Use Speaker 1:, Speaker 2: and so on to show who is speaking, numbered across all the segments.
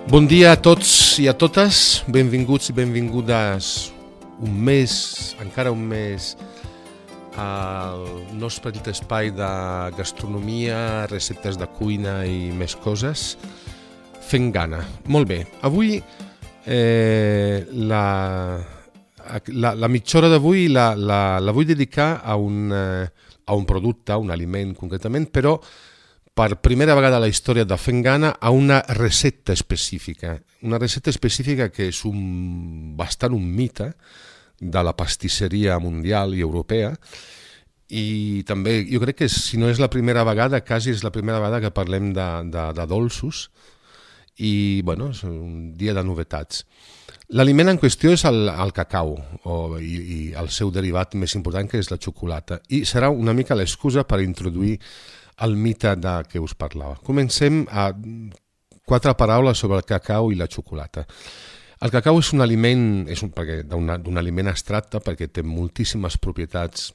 Speaker 1: Bon dia a tots i a totes, benvinguts i benvingudes encara un mes al nostre petit espai de gastronomia, receptes de cuina i més coses, fent gana. Molt bé, avui la mitja hora d'avui la vull dedicar a un producte, a un aliment concretament, però per primera vegada a la història de Fent Gana a una recepta específica. Una recepta específica que és bastant un mite de la pastisseria mundial i europea, i també jo crec que si no és la primera vegada, quasi és la primera vegada que parlem de dolços, i bueno, és un dia de novetats. L'aliment en qüestió és el cacau i el seu derivat més important, que és la xocolata, i serà una mica l'excusa per introduir el mite de què us parlava. Comencem a 4 paraules sobre el cacau i la xocolata. El cacau és un aliment, d'un aliment abstracte perquè té moltíssimes propietats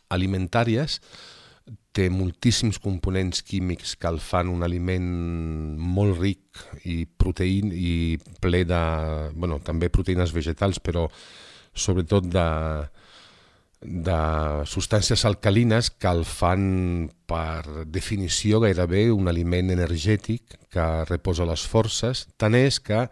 Speaker 1: alimentàries, té moltíssims components químics que el fan un aliment molt ric i ple de, també proteïnes vegetals, però sobretot de substàncies alcalines que el fan, per definició, gairebé un aliment energètic que reposa les forces. Tant és que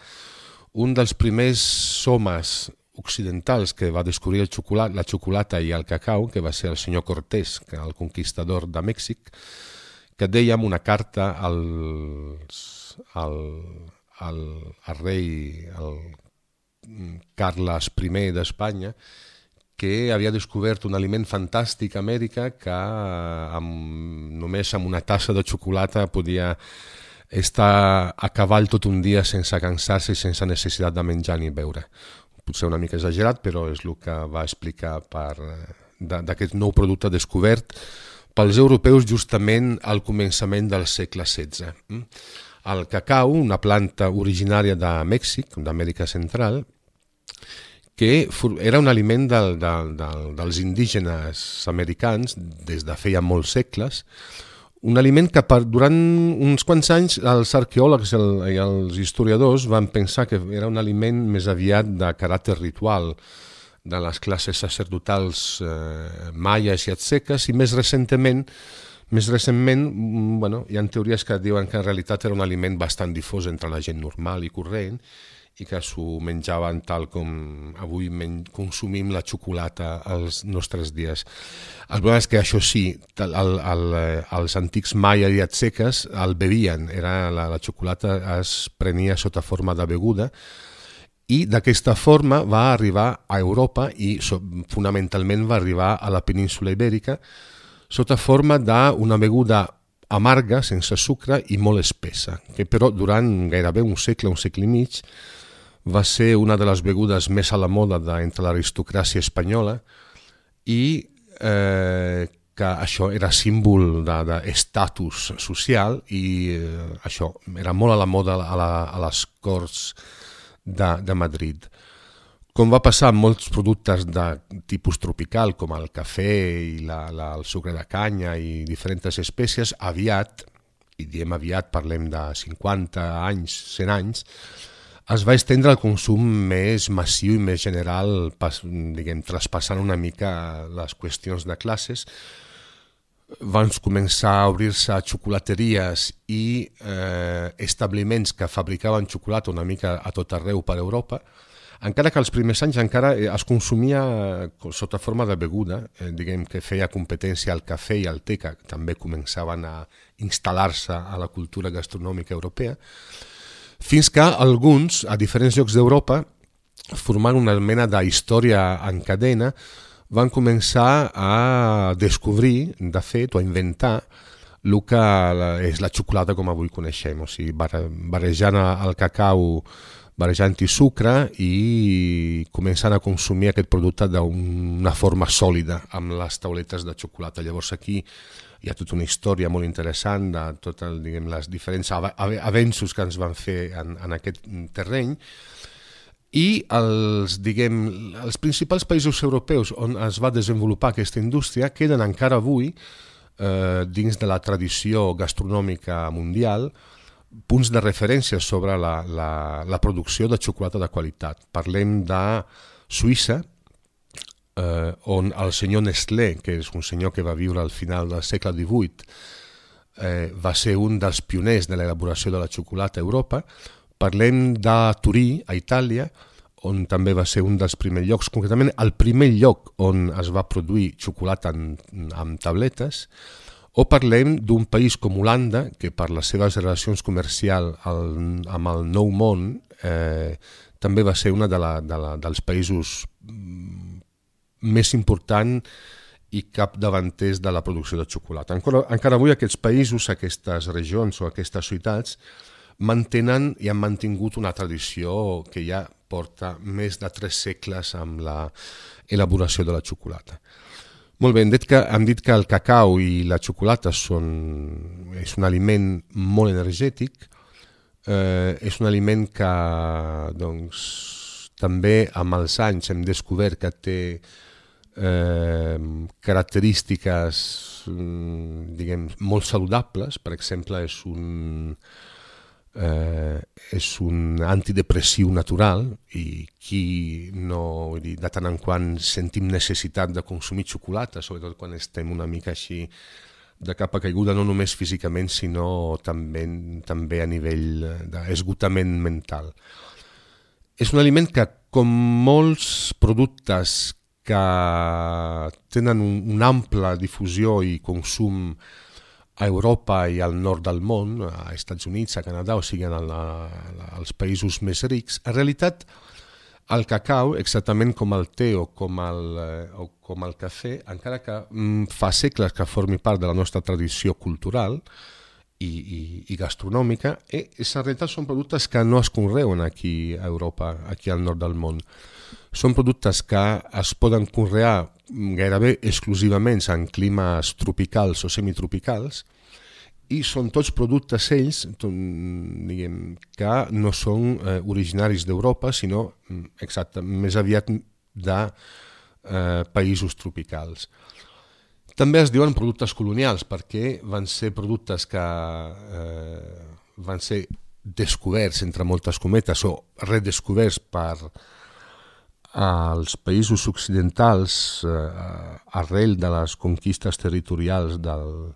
Speaker 1: un dels primers homes occidentals que va descobrir la xocolata i el cacau, que va ser el senyor Cortés, el conquistador de Mèxic, que deia en una carta al rei Carles I d'Espanya, que havia descobert un aliment fantàstic a Amèrica que només amb una tassa de xocolata podia estar a cavall tot un dia sense cansar-se i sense necessitat de menjar ni beure. Potser una mica exagerat, però és el que va explicar d'aquest nou producte descobert pels europeus justament al començament del segle XVI. El cacau, una planta originària de Mèxic, d'Amèrica Central, que era un aliment dels indígenes americans des de feia molts segles, un aliment que durant uns quants anys els arqueòlegs i els historiadors van pensar que era un aliment més aviat de caràcter ritual de les classes sacerdotals maies i azteques, i més recentment, hi ha teories que diuen que en realitat era un aliment bastant difós entre la gent normal i corrent, i que s'ho menjaven tal com avui consumim la xocolata als nostres dies. El problema és que això sí, els antics maia i azteques el bevien, la xocolata es prenia sota forma de beguda, i d'aquesta forma va arribar a Europa i fonamentalment va arribar a la península ibèrica sota forma d'una beguda amarga, sense sucre i molt espessa, que però durant gairebé un segle i mig, va ser una de les begudes més a la moda entre l'aristocràcia espanyola, i que això era símbol d'estatus social, i això era molt a la moda a les corts de Madrid. Com va passar amb molts productes de tipus tropical, com el cafè i el sucre de canya i diferents espècies, aviat, i diem aviat, parlem de 50 anys, 100 anys, es va estendre el consum més massiu i més general, traspassant una mica les qüestions de classes. Van començar a obrir-se xocolateries i establiments que fabricaven xocolata una mica a tot arreu per Europa, encara que els primers anys encara es consumia sota forma de beguda, que feia competència al cafè i al te, que també començaven a instal·lar-se a la cultura gastronòmica europea, fins que alguns, a diferents llocs d'Europa, formant una mena d'història en cadena, van començar a descobrir, de fet, o a inventar el que és la xocolata com avui coneixem, o sigui, barrejant el cacau, barrejant-hi sucre i començant a consumir aquest producte d'una forma sòlida, amb les tauletes de xocolata. Llavors aquí hi ha tota una història molt interessant de tots els diferents avenços que ens van fer en aquest terreny, i els principals països europeus on es va desenvolupar aquesta indústria queden encara avui dins de la tradició gastronòmica mundial punts de referència sobre la producció de xocolata de qualitat. Parlem de Suïssa, on el senyor Nestlé, que és un senyor que va viure al final del segle XVIII, va ser un dels pioners de l'elaboració de la xocolata a Europa. Parlem de Turí, a Itàlia, on també va ser un dels primers llocs, concretament el primer lloc on es va produir xocolata amb tabletes. O parlem d'un país com Holanda, que per les seves relacions comercials amb el Nou Món també va ser un dels països més important i capdavanters de la producció de xocolata. Encara avui aquests països, aquestes regions o aquestes ciutats mantenen i han mantingut una tradició que ja porta més de 3 segles amb l'elaboració de la xocolata. Molt bé, hem dit que el cacau i la xocolata és un aliment molt energètic, és un aliment que també amb els anys hem descobert que té característiques molt saludables. Per exemple, és un antidepressiu natural i de tant en quant sentim necessitat de consumir xocolata, sobretot quan estem una mica així de capa caiguda, no només físicament sinó també a nivell d'esgotament mental. És un aliment que, com molts productes que tenen una ampla difusió i consum a Europa i al nord del món, a Estats Units, a Canadà, o sigui, als països més rics, en realitat el cacau, exactament com el te o com el cafè, encara que fa segles que formi part de la nostra tradició cultural i gastronòmica, en realitat són productes que no es conreuen aquí a Europa, aquí al nord del món. Són productes que es poden conrear gairebé exclusivament en climes tropicals o semitropicals i són tots productes ells que no són originaris d'Europa, sinó més aviat de països tropicals. També es diuen productes colonials perquè van ser productes que van ser descoberts, entre moltes cometes, o redescoberts per als països occidentals arrel de les conquistes territorials del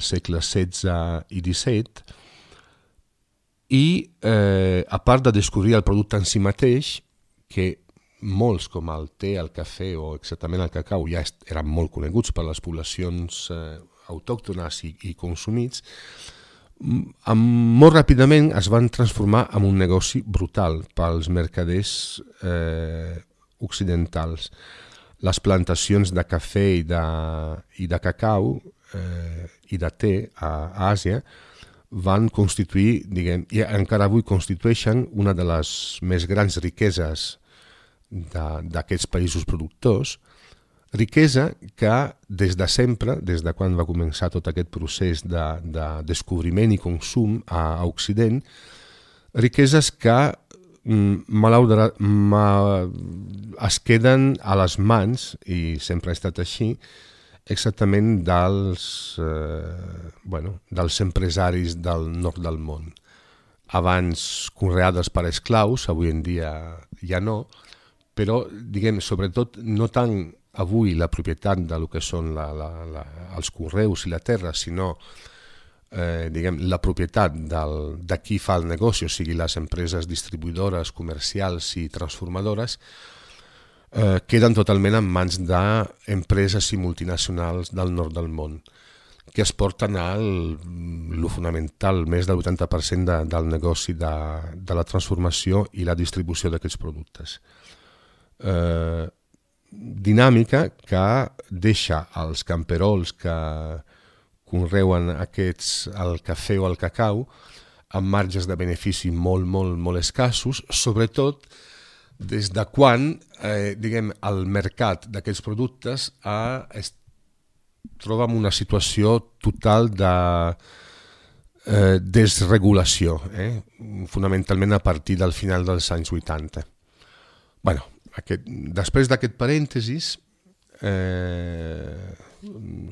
Speaker 1: segle XVI i XVII i a part de descobrir el producte en si mateix, que molts com el te, el cafè o exactament el cacau ja eren molt coneguts per les poblacions autòctones i consumits, molt ràpidament es van transformar en un negoci brutal pels mercaders occidentals. Les plantacions de cafè i de cacau i de te a Àsia van constituir, i encara avui constitueixen, una de les més grans riqueses d'aquests països productors, riquesa que des de sempre, des de quan va començar tot aquest procés de descobriment i consum a Occident, riqueses que es queden a les mans, i sempre ha estat així, exactament dels empresaris del nord del món. Abans conreades per esclaus, avui en dia ja no, però, sobretot, no tant avui la propietat del que són els conreus i la terra, sinó la propietat de qui fa el negoci, o sigui, les empreses distribuïdores, comercials i transformadores, queden totalment en mans d'empreses i multinacionals del nord del món, que es porten el fonamental, més del 80% del negoci de la transformació i la distribució d'aquests productes. Dinàmica que deixa els camperols que conreuen el cafè o el cacau amb marges de benefici molt, molt, molt escassos, sobretot des de quan el mercat d'aquests productes es troba en una situació total de desregulació, fonamentalment a partir del final dels anys 80. Després d'aquest parèntesis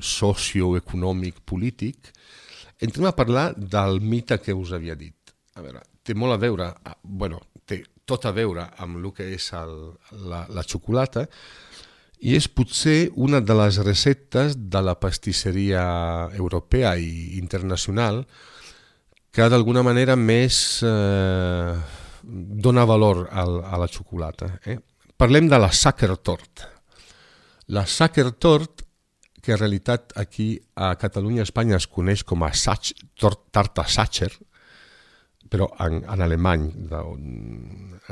Speaker 1: socioeconòmic polític, entrem a parlar del mite que us havia dit. A veure, té molt a veure, té tot a veure amb el que és la xocolata, i és potser una de les receptes de la pastisseria europea i internacional que d'alguna manera més dona valor a la xocolata. Parlem de la Sachertorte. La Sachertorte, que en realitat aquí a Catalunya i Espanya es coneix com a tarta Sacher, però en alemany,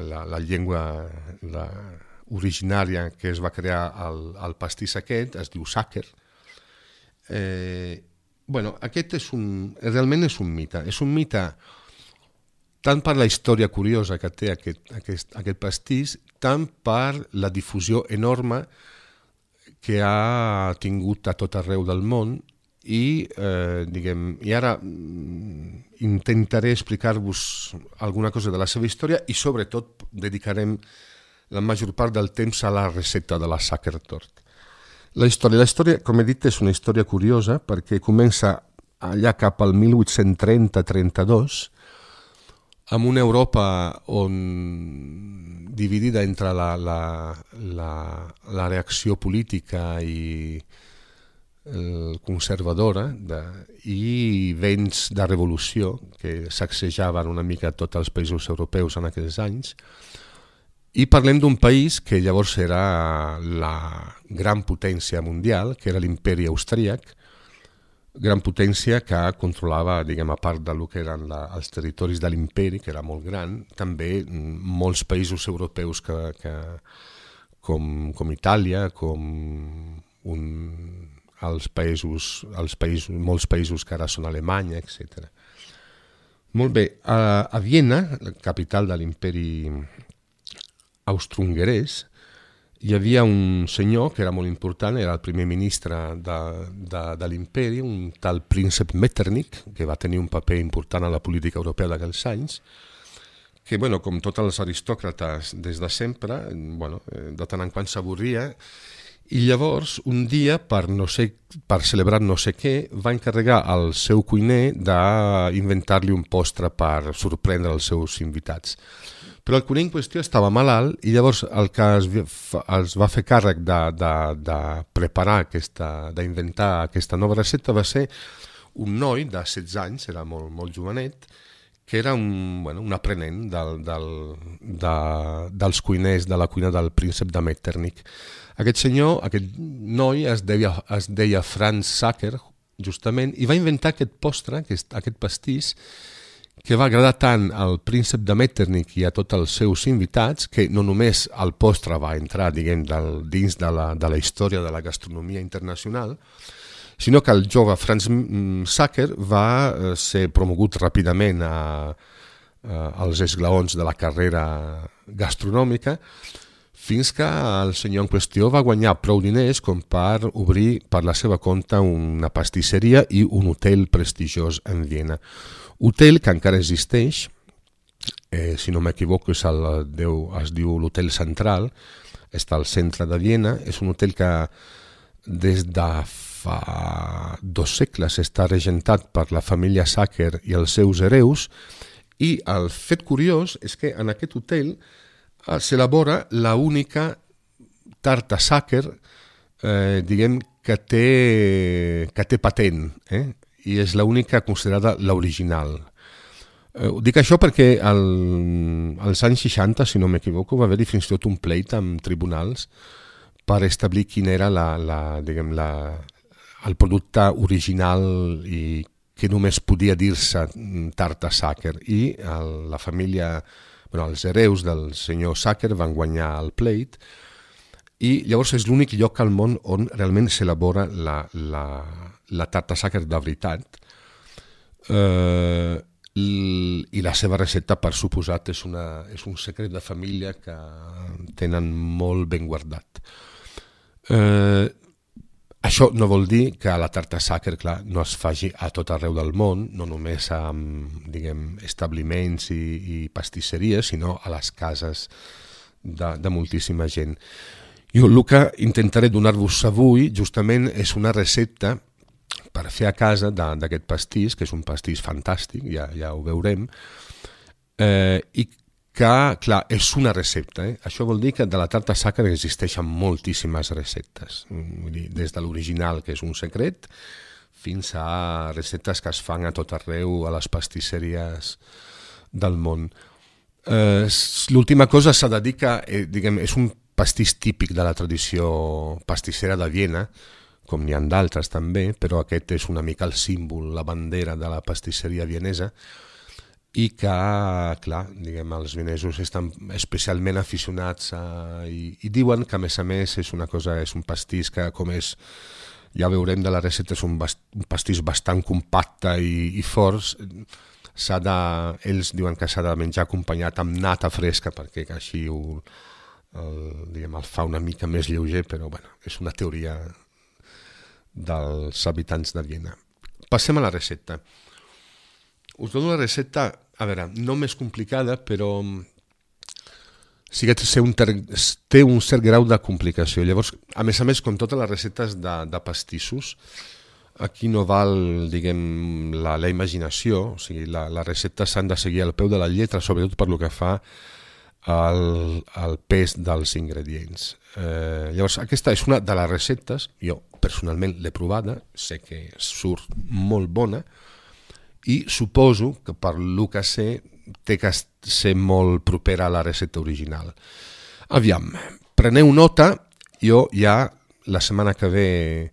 Speaker 1: la llengua originària que es va crear al pastís aquest es diu Sacher. Aquest realment és un mite. És un mite tant per la història curiosa que té aquest pastís, tant per la difusió enorme que ha tingut a tot arreu del món i ara intentaré explicar-vos alguna cosa de la seva història i sobretot dedicarem la major part del temps a la recepta de la Sachertorte. La història, com he dit, és una història curiosa perquè comença allà cap al 1830-32 amb una Europa dividida entre la reacció política i conservadora i vents de revolució que sacsejaven una mica tots els països europeus en aquells anys. I parlem d'un país que llavors era la gran potència mundial, que era l'imperi austríac, gran potència que controlava, a part del que eren els territoris de l'imperi, que era molt gran, també molts països europeus com Itàlia, com molts països que ara són Alemanya, etc. Molt bé, a Viena, la capital de l'imperi austro-hongarès, hi havia un senyor que era molt important, era el primer ministre de l'imperi, un tal príncep Metternich, que va tenir un paper important a la política europea d'aquells anys, que, com tots els aristòcrates des de sempre, de tant en quant s'avorria, i llavors, un dia, per celebrar no sé què, va encarregar al seu cuiner d'inventar-li un postre per sorprendre els seus invitats. Però el cuiner en qüestió estava malalt i llavors el que es va fer càrrec de preparar, d'inventar aquesta nova recepta va ser un noi de 16 anys, era molt jovenet, que era un aprenent dels cuiners de la cuina del príncep de Metternich. Aquest noi es deia Franz Sacher, justament, i va inventar aquest postre, aquest pastís, que va agradar tant al príncep de Metternich i a tots els seus invitats que no només el postre va entrar dins de la història de la gastronomia internacional, sinó que el jove Franz Sacher va ser promogut ràpidament als esglaons de la carrera gastronòmica fins que el senyor en qüestió va guanyar prou diners com per obrir per la seva compte una pastisseria i un hotel prestigiós en Viena. Hotel que encara existeix, si no m'equivoco es diu l'Hotel Central, està al centre de Viena, és un hotel que des de fa 2 segles està regentat per la família Sacher i els seus hereus, i el fet curiós és que en aquest hotel s'elabora l'única tarta Sacher que té patent, i és l'única considerada l'original. Dic això perquè als anys 60, si no m'equivoco, va haver-hi fins i tot un pleit amb tribunals per establir quin era el producte original i que només podia dir-se tarta Sacher. I la família, els hereus del senyor Sacher van guanyar el pleit i llavors és l'únic lloc al món on realment s'elabora la tarta Sacher de veritat, i la seva recepta, per suposat, és un secret de família que tenen molt ben guardat. Això no vol dir que la tarta Sacher, clar, no es faci a tot arreu del món, no només amb establiments i pastisseries, sinó a les cases de moltíssima gent. Jo el que intentaré donar-vos avui justament és una recepta per fer a casa d'aquest pastís, que és un pastís fantàstic, ja ho veurem, i que, clar, és una recepta. Això vol dir que de la tarta sacra existeixen moltíssimes receptes, vull dir, des de l'original, que és un secret, fins a receptes que es fan a tot arreu, a les pastisseries del món. L'última cosa s'ha de dir que és un pastís típic de la tradició pastissera de Viena, com n'hi ha d'altres també, però aquest és una mica el símbol, la bandera de la pastisseria vienesa, i que, clar, els vienesos estan especialment aficionats i diuen que, a més, és un pastís que, com és, ja veurem de la recepta, és un pastís bastant compacte i fort. Ells diuen que s'ha de menjar acompanyat amb nata fresca, perquè així el fa una mica més lleuger, però bueno, és una teoria dels habitants de Viena. Passem a la recepta. Us dono la recepta, a veure, no més complicada, però sí que té un cert grau de complicació. Llavors, a més, com totes les receptes de pastissos, aquí no val, diguem, la imaginació, o sigui, les receptes s'han de seguir al peu de la lletra, sobretot per lo que fa al pes dels ingredients. Llavors, aquesta és una de les receptes, jo personalment l'he provada, sé que surt molt bona, i suposo que per lo que sé té que ser molt propera a la recepta original. Aviam, preneu nota, jo ja la setmana que ve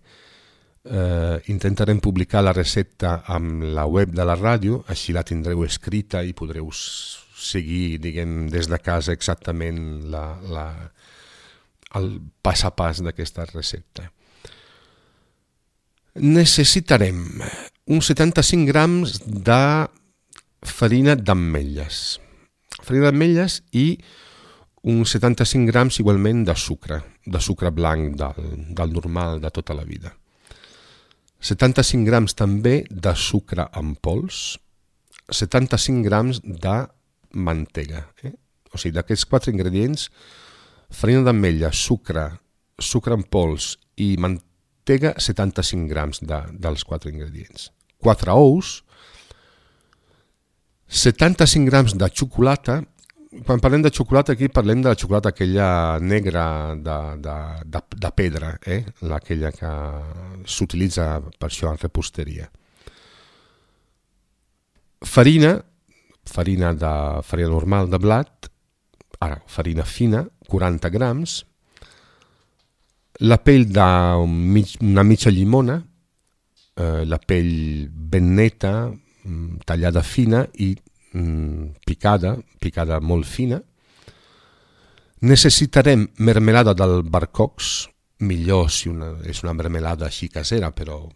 Speaker 1: intentarem publicar la recepta amb la web de la ràdio, així la tindreu escrita i podreu seguir, diguem, des de casa exactament el pas a pas d'aquesta recepta. Necessitarem uns 75 grams de farina d'ametlles. Farina d'ametlles i uns 75 grams igualment de sucre blanc del normal de tota la vida. 75 grams també de sucre en pols, 75 grams de mantega. O sigui, d'aquests 4 ingredients, farina d'ametlles, sucre en pols i mantega, 75 grams dels 4 ingredients. 4 ous, 75 grams de xocolata. Quan parlem de xocolata aquí parlem de la xocolata aquella negra de pedra, aquella que s'utilitza per això en reposteria. Farina normal de blat, ara farina fina, 40 grams, la pell d'una mitja llimona, la pell ben neta, tallada fina i picada molt fina. Necessitarem mermelada d'albercocs, millor si és una mermelada així casera, però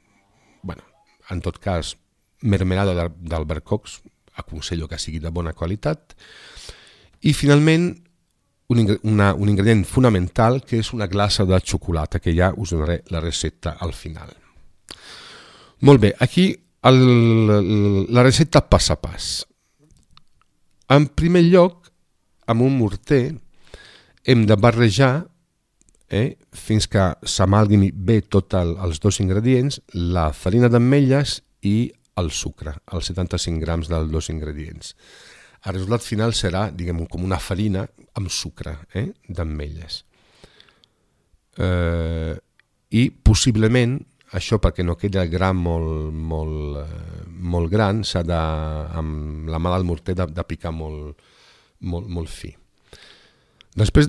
Speaker 1: bueno, en tot cas, mermelada d'albercocs, aconsello que sigui de bona qualitat. I finalment, un ingredient fonamental, que és una glassa de xocolata, que ja us donaré la recepta al final. Molt bé, aquí la recepta pas a pas. En primer lloc, amb un morter, hem de barrejar fins que s'amalgami bé tots els dos ingredients, la farina d'ametlles i el sucre, els 75 grams dels dos ingredients. El resultat final serà, diguem, com una farina amb sucre d'ametlles. I possiblement, això perquè no quedi el gram molt gran, s'ha de, amb la mà del morter, de picar molt fi. Després,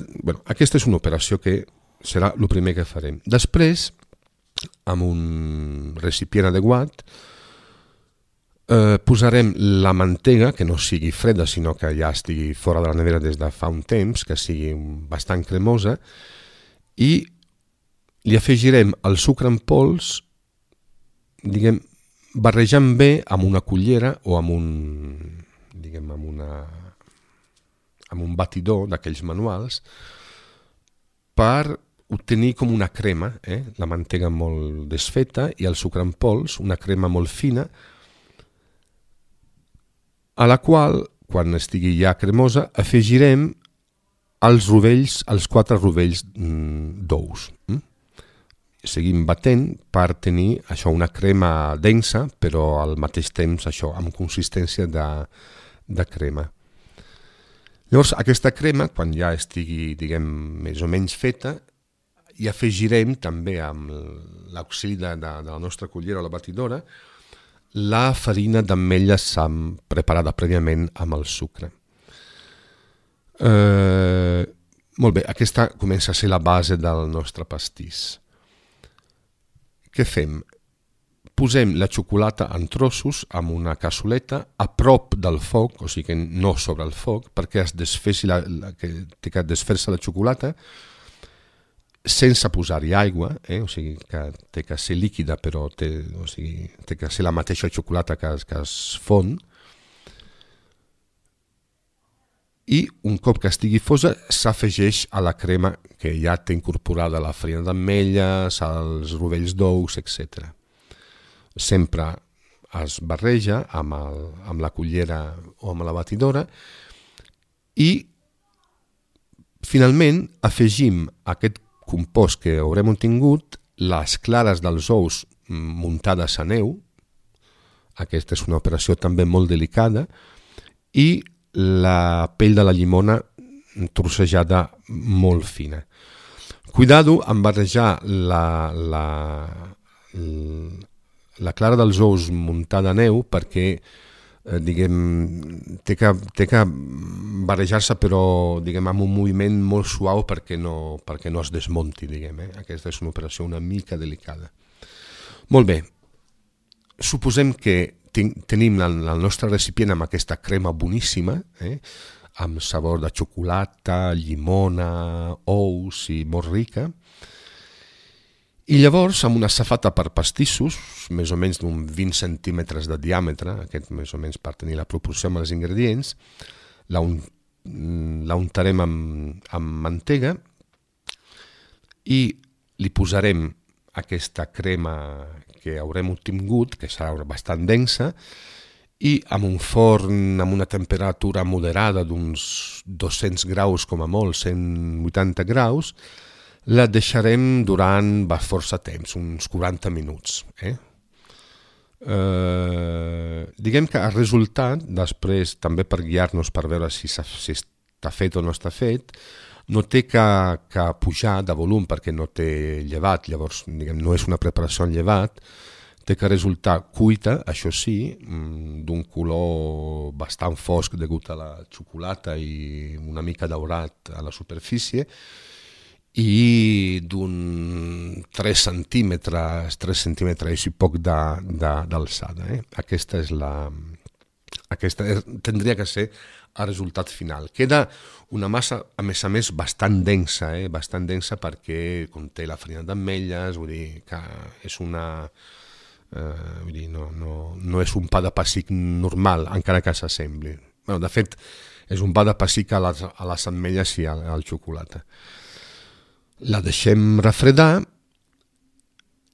Speaker 1: aquesta és una operació que serà el primer que farem. Després, amb un recipient adequat, posarem la mantega, que no sigui freda, sinó que ja estigui fora de la nevera des de fa un temps, que sigui bastant cremosa, i li afegirem el sucre en pols, diguem, barrejant bé amb una cullera o amb un batidor d'aquells manuals, per obtenir com una crema, la mantega molt desfeta i el sucre en pols, una crema molt fina, a la qual, quan estigui ja cremosa, afegirem els 4 rovells d'ous. seguim batent per tenir això, una crema densa, però al mateix temps això, amb consistència de crema. Llavors, aquesta crema, quan ja estigui, diguem, més o menys feta, hi afegirem també amb l'auxili de la nostra cullera o la batidora la farina d'ametlles preparada prèviament amb el sucre. Molt bé, aquesta comença a ser la base del nostre pastís. Què fem? Posem la xocolata en trossos amb una cassoleta a prop del foc, o sigui que no sobre el foc, perquè es desfessi que té que desfer-se la xocolata sense posar-hi aigua, o sigui que té que ser líquida, però té que ser la mateixa xocolata que es fon. I un cop que estigui fosa s'afegeix a la crema que ja té incorporada la farina d'ametlles, els rovells d'ous, etc. Sempre es barreja amb la cullera o amb la batidora i finalment afegim aquest compost que haurem obtingut, les clares dels ous muntades a neu, aquesta és una operació també molt delicada, i la pell de la llimona trossejada molt fina. Cuidado amb barrejar la clara dels ous muntada a neu perquè té que barrejar-se però amb un moviment molt suau perquè no es desmunti. Aquesta és una operació una mica delicada. Molt bé, suposem que tenim el nostre recipient amb aquesta crema boníssima, amb sabor de xocolata, llimona, ous i molt rica. I llavors, amb una safata per pastissos, més o menys d'un 20 centímetres de diàmetre, aquest més o menys per tenir la proporció amb els ingredients, la untarem amb mantega i li posarem aquesta crema que haurem obtingut, que serà bastant densa, i amb un forn amb una temperatura moderada d'uns 200 graus com a molt, 180 graus, la deixarem durant força temps, uns 40 minuts. Diguem que el resultat, després, també per guiar-nos per veure si està fet o no està fet, no té que pujar de volum perquè no té llevat, llavors no és una preparació en llevat, té que resultar cuita, això sí, d'un color bastant fosc degut a la xocolata i una mica daurat a la superfície, i d'un 3 centímetres i poc d'alçada. Aquesta tindria que ser el resultat final. Queda una massa, a més, bastant densa perquè conté la farina d'ametlles, vull dir que és no és un pa de pessic normal, encara que s'assembli. De fet, és un pa de pessic a les ametlles i al xocolata. La deixem refredar,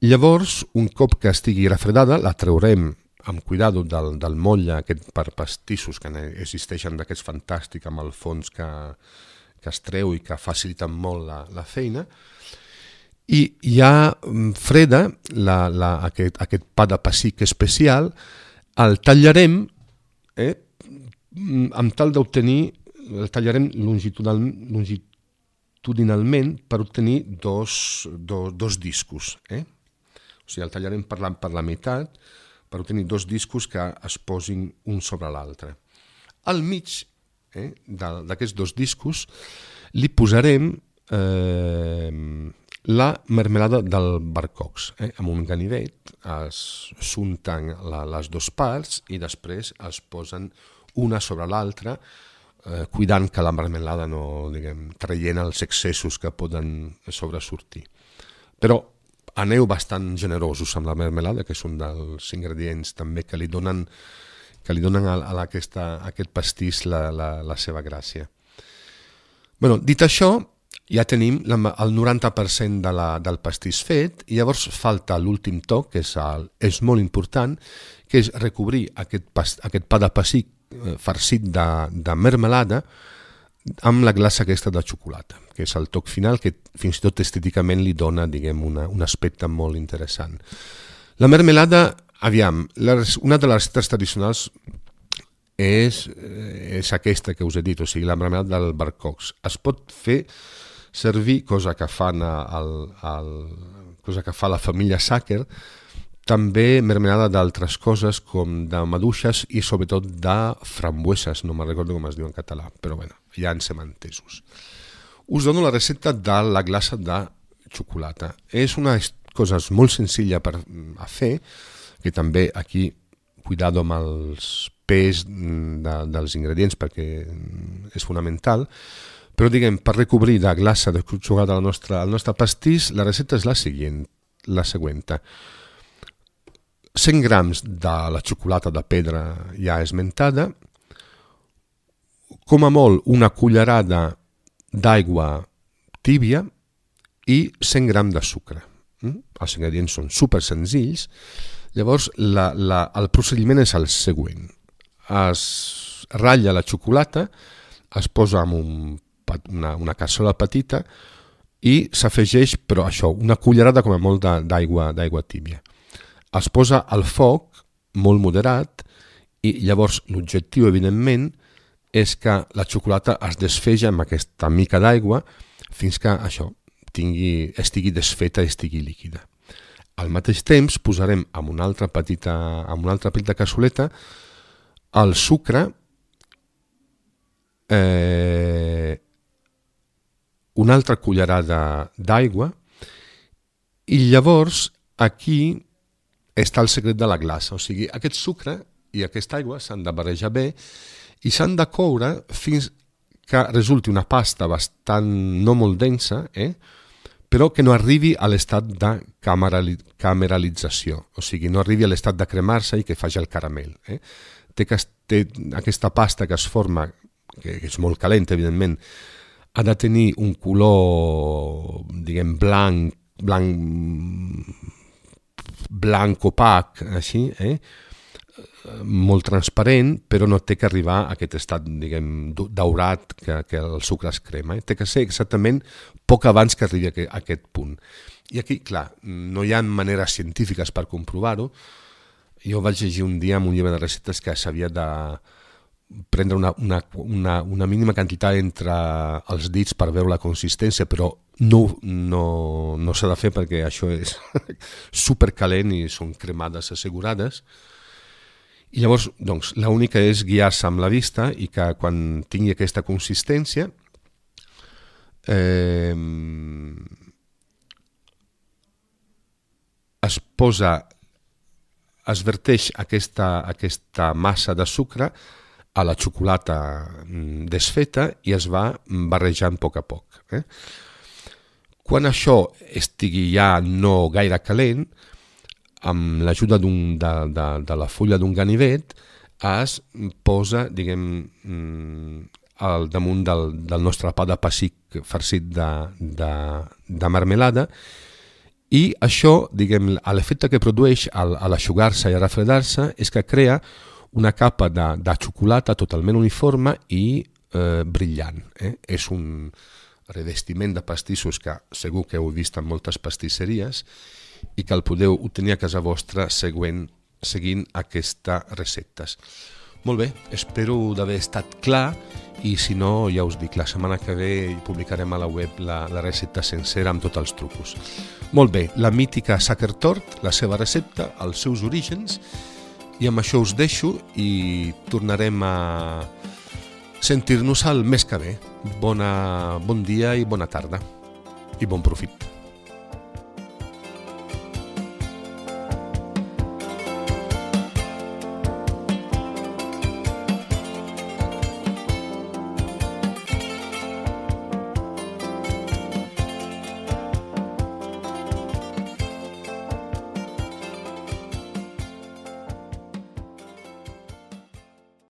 Speaker 1: llavors, un cop que estigui refredada, la traurem amb cuidado del motlle aquest per pastissos que existeixen d'aquests fantàstics amb el fons que es treu i que faciliten molt la feina, i ja freda aquest pa de pessic especial, el tallarem amb tal d'obtenir, el tallarem longitudinalment per obtenir dos discos. O sigui, el tallarem per la meitat per obtenir dos discos que es posin un sobre l'altre. Al mig d'aquests dos discos li posarem la mermelada del barcocs. Amb un ganivet s'unten les dues parts i després es posen una sobre l'altra, cuidant que la marmelada no, traient els excessos que poden sobresortir. Però aneu bastant generosos amb la marmelada, que és un dels ingredients també que li donen a aquest pastís la seva gràcia. Dit això, ja tenim el 90% del pastís fet, i llavors falta l'últim toc, que és molt important, que és recobrir aquest pa de pessic farcit de mermelada amb la glaça aquesta de xocolata, que és el toc final que fins i tot estèticament li dona, diguem, un aspecte molt interessant. La mermelada, aviam, una de les receptes tradicionals és aquesta que us he dit, o sigui, la mermelada del barcocs. Es pot fer servir, cosa que fa la família Sacher, també mermelada d'altres coses com de maduixes i sobretot de frambueses, no me'n recordo com es diu en català, però bueno, ja ens hem entesos. Us dono la recepta de la glaça de xocolata. És una cosa molt senzilla a fer, que també aquí, cuidado amb els pes dels ingredients perquè és fonamental, però diguem, per recobrir de glaça de xocolata el nostre pastís, la recepta és la següent. 100 grams de la xocolata de pedra ja esmentada, com a molt una cullerada d'aigua tìbia i 100 grams de sucre. Els ingredients són super senzills. Llavors, el procediment és el següent. Es ratlla la xocolata, es posa en una cassola petita i s'afegeix, però això, una cullerada com a molt d'aigua tìbia. Es posa al foc molt moderat i llavors l'objectiu, evidentment, és que la xocolata es desfegi amb aquesta mica d'aigua fins que això estigui desfeta i estigui líquida. Al mateix temps posarem en una altra petita cassoleta el sucre, una altra cullerada d'aigua i llavors aquí està el secret de la glaça, o sigui, aquest sucre i aquesta aigua s'han de barrejar bé i s'han de coure fins que resulti una pasta bastant no molt densa, però que no arribi a l'estat de cameralització, o sigui, no arribi a l'estat de cremar-se i que faci el caramel. Té aquesta pasta que es forma, que és molt calenta, evidentment, ha de tenir un color, diguem, blanc opac, així, molt transparent, però no té que arribar a aquest estat, diguem, daurat que el sucre es crema. Té que ser exactament poc abans que arribi a aquest punt. I aquí, clar, no hi ha maneres científiques per comprovar-ho. Jo vaig llegir un dia en un llibre de receptes que s'havia de prendre una mínima quantitat entre els dits per veure la consistència, però no s'ha de fer perquè això és supercalent i són cremades assegurades. I llavors, doncs, l'única és guiar-se amb la vista i que quan tingui aquesta consistència es verteix aquesta massa de sucre a la xocolata desfeta i es va barrejant a poc a poc. Quan això estigui ja no gaire calent, amb l'ajuda de la fulla d'un ganivet, es posa, diguem, al damunt del nostre pa de pessic farcit de marmelada i això, diguem, l'efecte que produeix a l'aixugar-se i a refredar-se és que crea una capa de xocolata totalment uniforme i brillant. És un revestiment de pastissos que segur que heu vist en moltes pastisseries i que el podeu obtenir a casa vostra seguint aquestes receptes. Molt bé, espero d'haver estat clar i si no, ja us dic, la setmana que ve publicarem a la web la recepta sencera amb tots els trucos. Molt bé, la mítica Sacher Torte, la seva recepta, els seus orígens, i amb això us deixo i tornarem a sentir-nos el mes que ve. Bon dia i bona tarda i bon profit.